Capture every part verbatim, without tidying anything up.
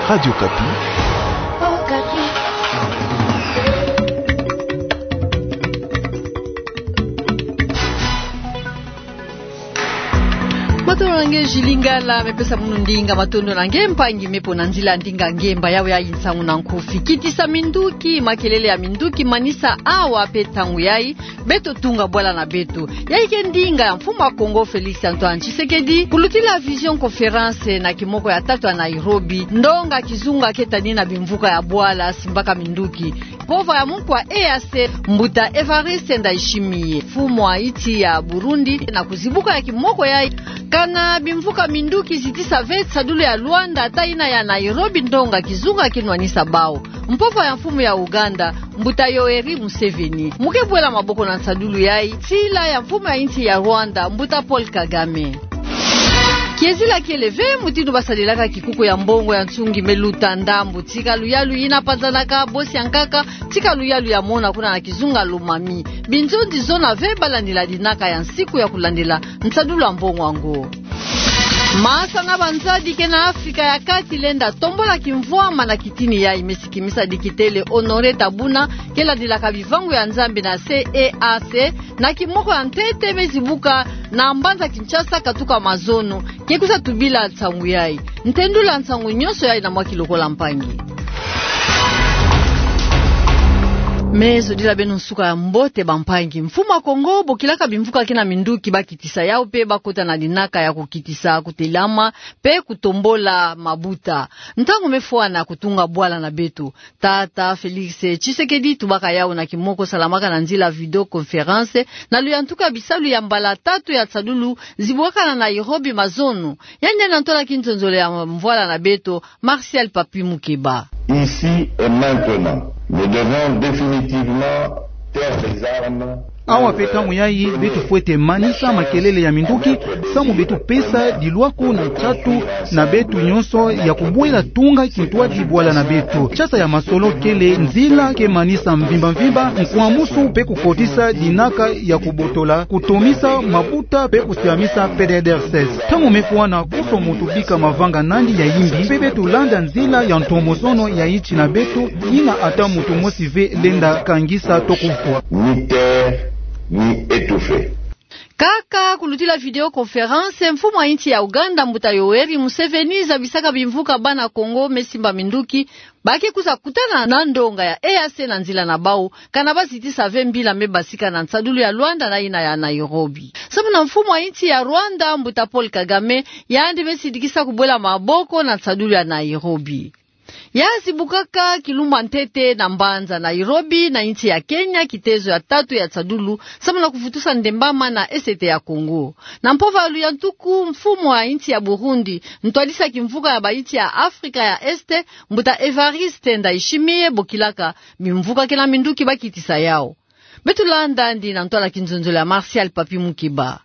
Radio Okapi. Matondo na nge Jules Lingala, me pesa munu ndinga. Matondo na nge mpangi, me pona nzila ndinga ngemba. Yawe yayi nsangu na nkufi. Kitisa minduki, makelele ya minduki manisa awa pe ntangu yayi beto tunga bwala na beto. Yayi ke ndinga ya Mfumu a Kongo Félix Antoine Tshisekedi, kulutila visioconférence na kimoko ya tatu ya Nairobi, ndonga kizunga ke tanina bimvuka ya bwala simbaka minduki. Mpova ya muku wa E A C, Mbuta Évariste Ndayishimiye, mfumu wa insi ya Burundi, na kuzibuka ya kimoko yayi, kana bimvuka minduki zitisa ve nsadulu ya Luanda ata yina ya Nairobi, ndonga kizunga ke nwanisa bawu. Mpova ya mfumu ya Uganda, Mbuta Yoweri Museveni, mu ke bwela maboko na nsadulu yayi, nsila ya mfumu ya insi ya Rwanda, Mbuta Paul Kagame. Kiezila kiele ve mutindu basadilaka kikuku ya mbongo ya nsungi me luta ndambu. Tika luyalu yina panzanaka bosi ya nkaka, tika luyalu ya mona kuna na kizunga Lomami. Binzonzi zona ve balandila dinaka ya nsiku ya kulandila nsadulu ya mbongo yango. Masa na banzadi ke na Afrika ya Kati lenda tombola kimvwama na kitini yayi, me si kimisa dikitele Honoré Tabouna, ke landilaka bivangu ya Nzambi na C E A C, na kimoko ya ntete me zibuka na mbanza Kinshasa katuka mazono. Ke kwiza tubila nsangu yayi. Ntendula nsangu nyonso yayi na mwa kilokola, mpangi. Me zodila beno nsuka ya mbote, bampangi. Mfumu a Kongo, bokilaka bimvuka ke na minduki bakitisa yawu pe bakota na dinaka ya kukitisa kutelama pe kutombola mabuta. Ntangu me fwana kutunga bwala na beto. Tata Félix Tshisekedi tubaka yawu na kimoko salamaka na nzila vidéoconférence, na luyantuku ya bisalu ya mbala tatu ya nsadulu zibuaka na Nairobi mazono. Yandi na ntola kinzonzolo ya mvwala na beto, Martial Papi Mukeba. Ici et maintenant, nous devons définitivement taire les armes. Awa pe ntangu yayi, beto fwete manisa makelele ya minduki, samu beto pesa dilwako na nsatu na beto nyonso ya kubwela tunga kintwadi bwala na beto. Ntiasa ya masolo kele nzila ke manisa mvimba mvimba nkwamusu pe kukotisa dinaka ya kubotola, kutomisa mabuta pe kusiamisa P D D R C S. Ntangu me fwana, kuso muntu bika mavanga nandi ya yimbi, pe beto landa nzila ya ntomosono ya insi na beto, yina ata muntu mosi ve lenda kangisa to kufwa. Ni taire, ni étouffer. Kaka kulutila vidéoconférence, mfumu wa insi ya Uganda, Mbuta Yoweri Museveni, zabisaka bimvuka bana Kongo me simba minduki, ba ke kwiza kutana na ndonga ya E A C na nzila na bawu, kana bazitisa ve mbila me basika na nsadulu ya Luanda na yina ya Nairobi. Samu na mfumu wa insi ya Rwanda, Mbuta Paul Kagame, yandi me sidikisa kubwela maboko na nsadulu ya Nairobi. Ya zibukaka kilumbu ya ntete na mbanza Nairobi na insi ya Kenya, kitezo ya tatu ya nsadulu, samu na kuvutusa ndembama na Est ya Congo. Na mpova ya luyantuku, mfumu wa insi ya Burundi, ntwadisi ya kimvuka ya ba insi ya Afrika ya Est, Mbuta Évariste Ndayishimiye, bokilaka bimvuka ke na minduki bakitisa yawu. Beto landa yandi na ntwala kinzonzolo ya Martial Papi Mukeba.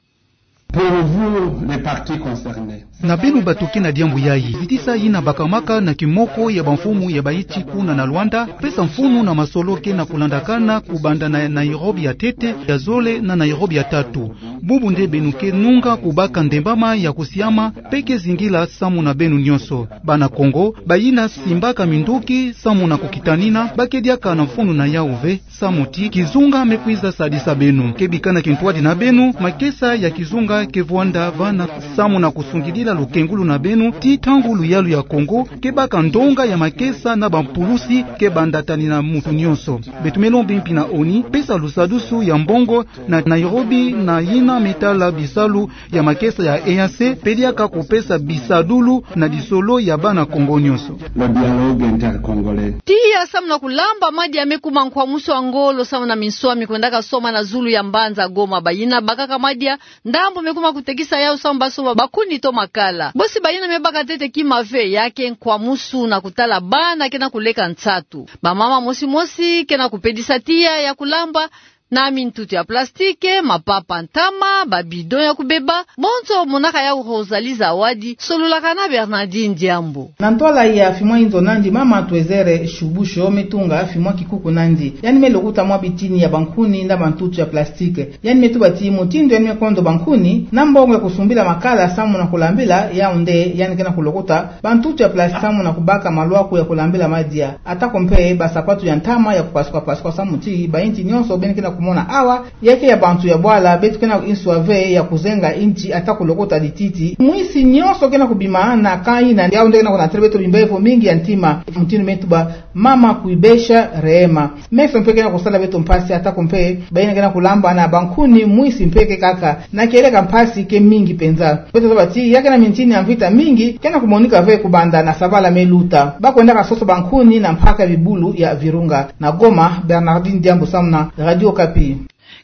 Pour vous, les parties concernées. Na beno bato ke na diambu yayi, zitisa yina bakamaka na kimoko ya bamfumu ya ba insi kuna na Luanda, pesa mfunu na masolo ke na kulandakana kubanda na Nairobi ya ntete, ya zole na Nairobi ya tatu. Bubu nde beno ke nunga kubaka ndembama ya kusiama, pe ke zingila samu na beno nyonso. Bana Kongo, bayina simbaka minduki samu na kukitanina, ba ke diaka na mfunu na yawu ve, samu ti kizunga me kwiza sadisa beno. Ke bikana kintwadi na beno, makesa ya kizunga ke vwanda vana samu na kusungidila lukengulu na beno, ti ntangu luyalu ya Kongo ke baka ndonga ya makesa na bampulusi ke banda tanina muntu nyonso. Beto me lomba mpi na ONU, pesa lusadusu ya mbongo na Nairobi na yina me tala bisalu ya makesa ya E A C, pe diaka kupesa bisadulu na lisolo ya bana Kongo nyonso. Le dialogue intercongolais. Tiya samu na kulamba madia me kuma nkwamusu ya ngolo samu na minswa mi kwendaka soma na zulu ya mbanza Goma. Bayina bakaka madia, ndambu me kuma kutekisa yawu samu basomba bakuni to makala. Bosi bayina me baka ntete kima ve, ya ke nkwamusu na kutala bana ke na kuleka nsatu. Bamama mosi mosi ke na kupedisa tiya ya kulamba, na mintutu ya plastike, mapapa ntama, ba bidon ya kubeba, bonso monaka yawu Rosalie Zawadi, sololaka na Bernardine Diambu. Na ntwala ya fimwa inzo nandi mama Twezere Shubusho me tunga fimwa kikuku nandi. Yandi me lokuta mwa bitini ya bankuni na bantutu ya plastike. Yandi me tuba ti mutindu yandi me kondo bankuni, na mbongo ya kusumbila makala samu na kulambila, yawu nde yandi ke na kulokota bantutu ya plastike samu na kubaka malwaku ya kulambila madia. Atako mpe basapatu ya ntama ya kupasuka-pasuka samu ti bainti nyonso beno ke na kumona awa, ya ke ya bantu ya bwala, beto ke na inswa ve ya kuzenga inti ata kulokota dititi. Mwisi nyonso ke na kubima na kani na yawu nde ke na kunatele beto bimbevo mingi ya ntima. Mutindu me tuba mama Kuibesha Rehema. Meso mpe ke na kusala beto mpasi atako mpe bayina ke na kulamba na bankuni mwisi mpe ke kaka. Na kieleka mpasi ke mingi penza. Beto zaba ti ya ke na mintini ya mvita mingi ke na kumonika ve kubanda na sabala me luta. Ba kwendaka sosa bankuni na mpaka bibulu ya Virunga. Na Goma, Bernardine Diambu samu na Radio Okapi.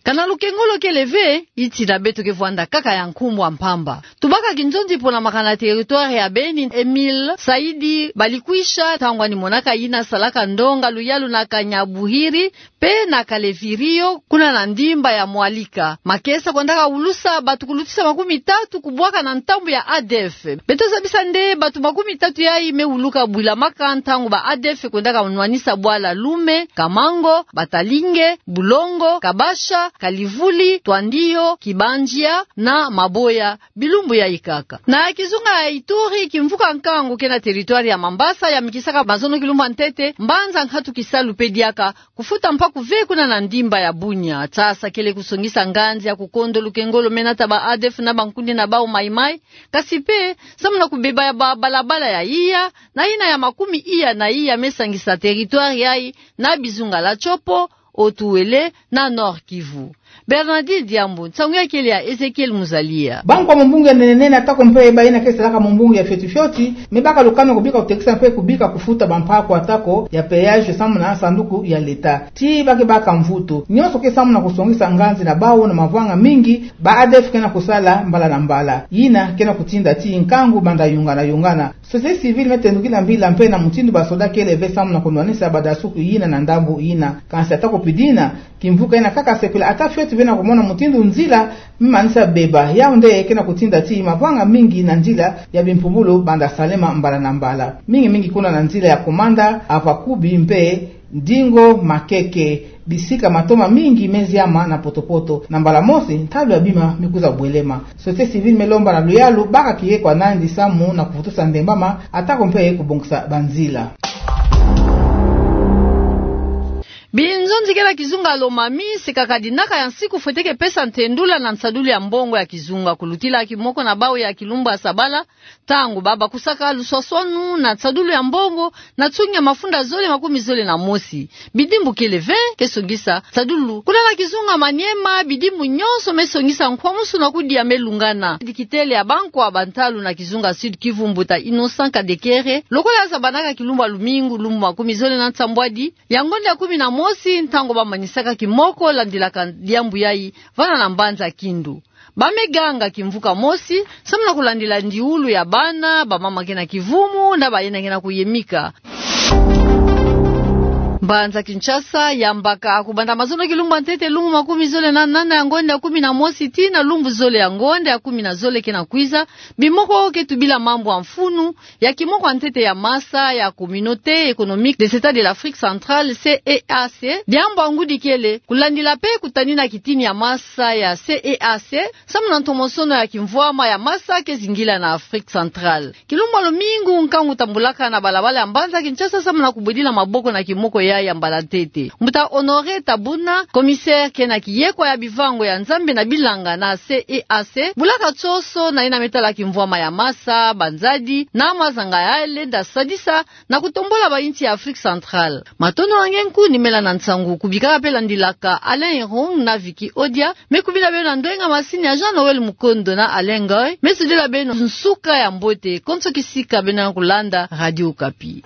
Kana lukengolo kele ve, iti na beto ke vwanda kaka ya nkumbu a mpamba. Tubaka kinzonzi pona makana territoire ya Beni, Emile Saidi Balikwisha, ntangu yandi monaka yina salaka ndonga luyalu na Kanyabuhiri, pe na Kalevirio, kuna na ndimba ya Mwalika. Makesa kwendaka ulusa bato kulutisa makumi tatu kubwaka na ntambu ya A D F. Beto zabisa nde bato makumi tatu yayi me wuluka bwila maka ntangu ba A D F kwendaka nwanisa bwala Lume, Kamango, Batalinge, Bulongo, Kabasha, Kalivuli, Twandio, Kibanjia na Maboya, bilumbu yayi kaka. Na kizunga ya Ituri, kimvuka nkangu ke na territoire ya Mambasa yamikisaka mazono kilumbu a ntete, mbanza nkatu kisalu pe diaka, kufuta mpaku ve kuna na ndimba ya Bunia. Tsasa kele kusongisa nganzi ya kukondo lukengolo me nata ba A D F na bankuni na bawu Mai-Mai, kasi pe samu na kubeba ya ba balabala ya iya, na yina ya makumi iya na iya me sangisa territoire yayi na bizunga la Tshopo, Haut-Uélé na Nord-Kivu. Bernardine Diambu, nsangu ya kele ya Ezekiel Muzalia. Bankwa mumbungu ya nene-nene atako mpe bayina ke salaka mumbungu ya fioti-fioti, me baka lukanu kubika kutekisa mpe kubika kufuta bampaku atako ya péage samu na sanduku ya leta. Ti ba ke baka mvutu. Nyonso ke samu na kusongisa nganzi na bawu na mavanga mingi, ba A D F ke na kusala mbala na mbala. Yina ke na kutinda ti nkangu banda yungana-yungana. Société civile me tendukila mbila mpe na mutindu basoda kele ve samu na kunwanisa badasuku yina na ndambu yina. Kansi atako pi dina, kimvuka yina kaka sepela ata fioti ve na kumona mutindu nzila me manisa beba. Yawu nde ke na kutinda ti mavanga mingi na nzila ya bimpumbulu banda salema mbala na mbala. Mingi-mingi kuna na nzila ya Komanda, Avakubi mpe Ndingo Makeke, bisika matoma mingi me ziama na poto-poto. Na mbala mosi, ntalu ya bima me kwiza bwelema. Société civile me lomba na luyalu baka kiye kwa nandi samu na kuvutusa ndembama, atako mpe kubongisa banzila. Binzonzi ke na kizunga Lomami, sekaka dinaka ya nsiku fwete ke pesa ntendula na nsadulu ya mbongo ya kizunga kulutila kimoko na bawu ya kilumbu ya sabala, ntangu ba bakusaka luswaswanu na nsadulu ya mbongo na nsungi ya mafunda zole makumi zole na mosi. Bidimbu kele ve ke songisa nsadulu. Kuna na kizunga Maniema, bidimbu nyonso me songisa nkwamusu na kudia me lungana. Dikitele ya bankwa bantalu na kizunga Sud-Kivu, mbuta Innocent Kadekere, lokola yazabanaka kilumbu ya lumingu, lumbu makumi zole na nsambwadi ya ngonda ya kumi na mosi, ntangu ba manisaka kimoko landilaka diambu yayi vana na mbanza Kindu. Ba me ganga kimvuka mosi, samu na kulandila ndiulu ya bana, bamama ke na kivumu, na bayina ke na kuyemika. Mbanza Kinshasa yambaka kubanda mazono kilumbu ya ntete, lumbu makumi zole na nana ya ngonda ya kumi na mosi tii na lumbu zole ya ngonda ya kumi na zole ke na kwiza, bimoko ke tubila mambu ya mfunu ya kimoko ya ntete ya masa ya Communauté économique des États de l'Afrique centrale, C E A C, diambu ya ngudi kele kulandila pe kutanina kitini ya masa ya C E A C, samu na ntomosono ya kimvwama ya masa ke zingila na Afrique centrale. Kilumbu ya lumingu, nkangu tambulaka na balabala ya mbanza Kinshasa samu na kubwedila maboko na kimoko yayi ya mbala ntete. Mbuta Honoré Tabuna, commissaire ke na kiyekwa ya bivango ya Nzambi na bilanga na C E A C, bulaka tsoso na yina me tala kimvwama ya masa, banzadi na mazanga yayi lenda sadisa na kutombola ba insi ya Afrique centrale. Matondo na nge nkuni mela na nsangu kubika pe landilaka Alain Irung na Vicky Odia, me kubila beno na ndwenga masini ya Jean Noël Mukondo na Alain Ngoy, me sudila beno nsuka ya mbote, konso kisika beno na kulanda Radio Okapi.